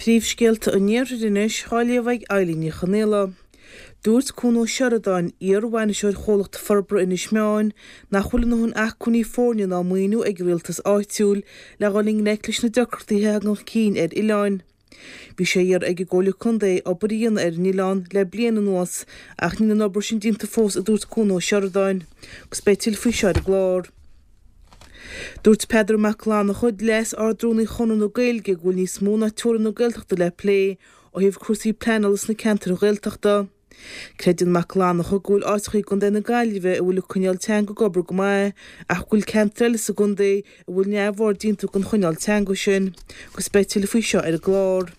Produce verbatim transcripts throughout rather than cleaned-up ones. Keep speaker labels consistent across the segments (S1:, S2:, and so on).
S1: Príomhscéalta an Iarthair anois á léamh ag Eilín Ní Chonaola. Dúirt Cuan Ó Seireadáin, iar-bhainisteoir Chomhlacht Forbartha Inis Meáin, nach bhfuil a ndóthain acmhainní foirne ná maoiniú ag an rialtas áitiúil le dhul i ngleic leis na deacrachtaí a thagann chun cinn ar oileáin. Bhí sé á iarraidh ag an gComhairle Contae obair a dhéanamh ar an oileán le bliain anuas ach níl an obair sin déanta fós a dúirt Cuan Ó Seireadáin. Agus beidh tuilleadh faoi seo ar an gclár. Dúirt Peadar Mac Fhlannchadha, Leas-Ard-Rúnaí Chonradh na Gaeilge, go bhfuil níos mó ná teorainn na Gaeltachta le plé ó thaobh cúrsaí pleanála sna ceantair Ghaeltachta. Creideann Mac Fhlannchadha go bhfuil áiteacha i gContae na Gaillimhe a bhfuil an coinníoll teanga ag obair go maith ach go bhfuil ceantair eile sa gcontae a bhfuil neamhaird déanta den choinníoll teanga sin, agus beidh tuilleadh faoi seo ar an gclár.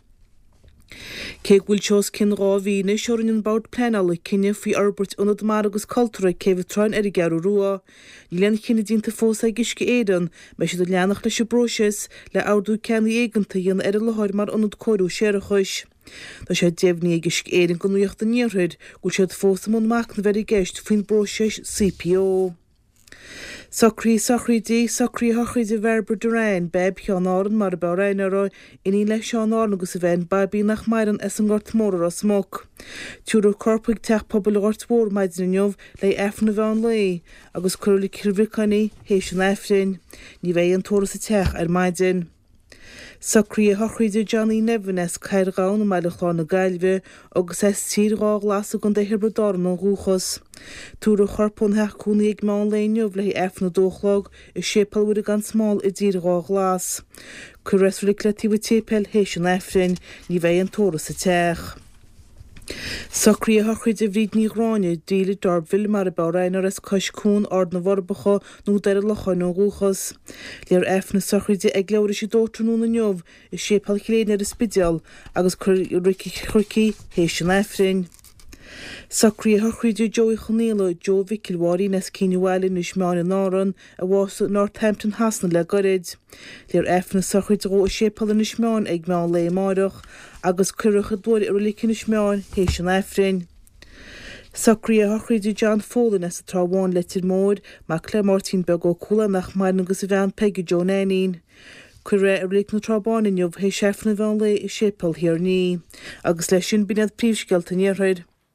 S1: Cé go bhfuil sé os cionn dhá mhí anois ó rinne an Bord Pleanála cinneadh faoi fhorbairt ionad mara agus cultúrtha ag Céibh an Troim ar an gCeathrú Rua, níl aon chinneadh déanta fós ag Uisce Éireann an mbeidh siad ag leanacht leis an bpróiseas le ordú ceannaigh éigeantach a dhéanamh ar an láthair mar ionad cóiriú séarachais. Tá sé deimhnithe ag Uisce Éireann do Nuacht an Iarthair go bhfuil siad fós i mbun machnaimh ar an gceist faoin bpróiseas CPO. Socruithe sochraide, socruithe sochraide Bhairbre Doran, Beaib Sheáin Árann mar ab fhearr aithne uirthi, iníon le Seán Árann agus a bhean Baibín nach maireann as an nGort Mór i Ros Muc. Tabharfar a corp chuig Teach Pobail an Ghoirt Mhóir maidin inniu le Aifreann an mheán lae agus cuirfear i Reilig Chill Bhriocáin í théis an Aifrinn. Ní bheidh aon tórramh sa teach ar maidin. Socruithe sochraide Johnny Nevin as Cathair Ghabhann i mBaile Chláir na Gaillimhe agus as Tír Dhá Ghlas i gContae Thiobraid Árann ó dhúchas. Tabharfar a chorp óna theach cónaí ag meán lae inniu le haghaidh Aifreann a dó a chlog i Séipéal Mhuire gan Smál i dTír Dhá Ghlas. Cuirfear é sa reilig le taobh an tséipéil théis an Aifrinn. Ní bheidh aon tórramh sa teach. Socruithe sochraide Bhríd Ní Ghráinne, Delia D'Urberville mar ab fhearr aithne uirthi as Cois Cuan, Ard na bhForbacha nó Doire Locháin ó dhúchas. Léifear Aifreann na sochraide ag leathuair tar éis a dó tráthnóna inniu i Séipéal Chill Éirne ar an Spidéal agus cuirfear i Reilig an Chnoic í théis an Aifrinn. Socruithe sochraide Joe Uí Chonaola, Joe Mhicil Mháirín as Cinn an Bhaile, Inis Meáin in Árann, a bhásaigh i Northampton Shasana le goirid. Léifear Aifreann na sochraide dhó i Séipéal Inis Meáin ag meán lae amáireach agus cuirfear a chuid luaithre i Reilig Inis Meáin théis an Aifrinn. Socruithe sochraide John Folan as an Trá Bháin, Leitir Móir, mac le Máirtín Beag Ó Cualáin nach maireann agus a bhean Peige Joe Nainín. Cuirfear é i Reilig na Trá Báine inniu théis Aifreann an mheán lae i Séipéal Thír an Fhia. Agus leis sin b'in iad príomhscéalta an Iarthair.